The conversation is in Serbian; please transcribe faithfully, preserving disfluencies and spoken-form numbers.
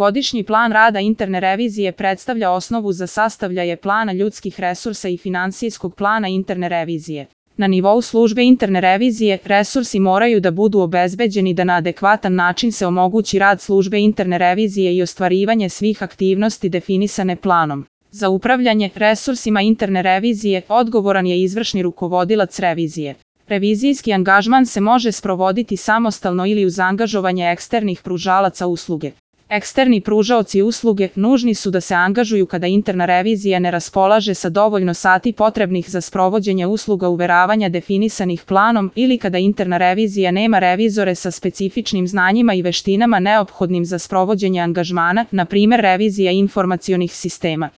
Godišnji plan rada interne revizije predstavlja osnovu za sastavljanje plana ljudskih resursa i finansijskog plana interne revizije. Na nivou službe interne revizije, resursi moraju da budu obezbeđeni da na adekvatan način se omogući rad službe interne revizije i ostvarivanje svih aktivnosti definisane planom. Za upravljanje resursima interne revizije odgovoran je izvršni rukovodilac revizije. Revizijski angažman se može sprovoditi samostalno ili uz angažovanje eksternih pružalaca usluge. Eksterni pružaoci usluge nužni su da se angažuju kada interna revizija ne raspolaže sa dovoljno sati potrebnih za sprovođenje usluga uveravanja definisanih planom ili kada interna revizija nema revizore sa specifičnim znanjima i veštinama neophodnim za sprovođenje angažmana, na primer revizija informacionih sistema.